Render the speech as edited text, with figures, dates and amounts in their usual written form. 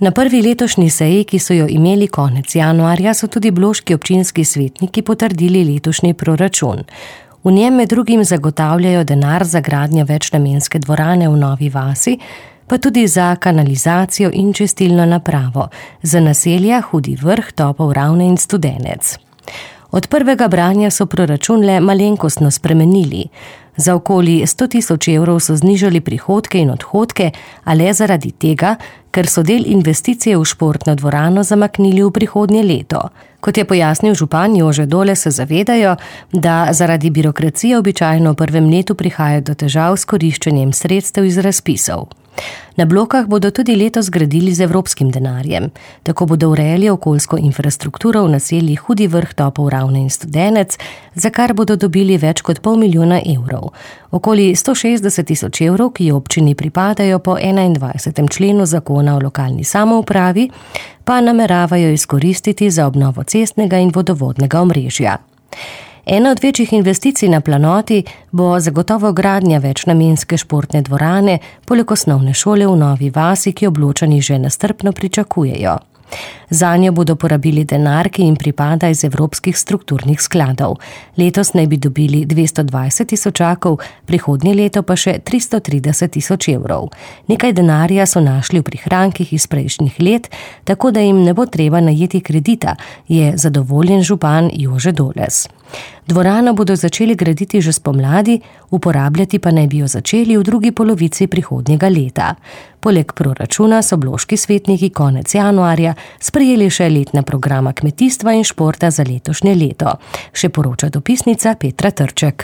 Na prvi letošnji seji, ki so jo imeli konec januarja, so tudi bloški občinski svetniki potrdili letošnji proračun. V njem med drugim zagotavljajo denar za gradnjo večnamenske dvorane v Novi vasi, pa tudi za kanalizacijo in čistilno napravo, za naselja Hudi Vrh, Topel Ravne in Studenec. Od prvega branja so proračun le malenkostno spremenili. Za okoli 100 000 evrov so znižali prihodke in odhodke, a le zaradi tega, ker so del investicije v športno dvorano zamaknili v prihodnje leto. Kot je pojasnil župan Jože Dole, se zavedajo, da zaradi birokracije običajno v prvem letu prihaja do težav s koriščenjem sredstev iz razpisov. Na blokah bodo tudi letos gradili z evropskim denarjem. Tako bodo urejali okoljsko infrastrukturo v naseljih Hudi Vrh, Topel Ravne in Studenec, za kar bodo dobili več kot 500 000 evrov. Okoli 160 000 evrov, ki občini pripadajo po 21. členu zakona o lokalni samoupravi, pa nameravajo izkoristiti za obnovo cestnega in vodovodnega omrežja. Ena od večjih investicij na planoti bo zagotovo gradnja večnamenske športne dvorane poleg osnovne šole v Novi vasi, ki Obločani že nestrpno pričakujejo. Zanjo bodo porabili denar, ki jim pripada iz evropskih strukturnih skladov. Letos naj bi dobili 220 000, prihodnje leto pa še 330 000 evrov. Nekaj denarja so našli v prihrankih iz prejšnjih let, tako da jim ne bo treba najeti kredita, je zadovoljen župan Jože Doles. Dvorano bodo začeli graditi že spomladi, uporabljati pa naj bi jo začeli v drugi polovici prihodnjega leta. Poleg proračuna so bloški svetniki konec januarja sprejeli še letna programa kmetijstva in športa za letošnje leto, še poroča dopisnica Petra Trček.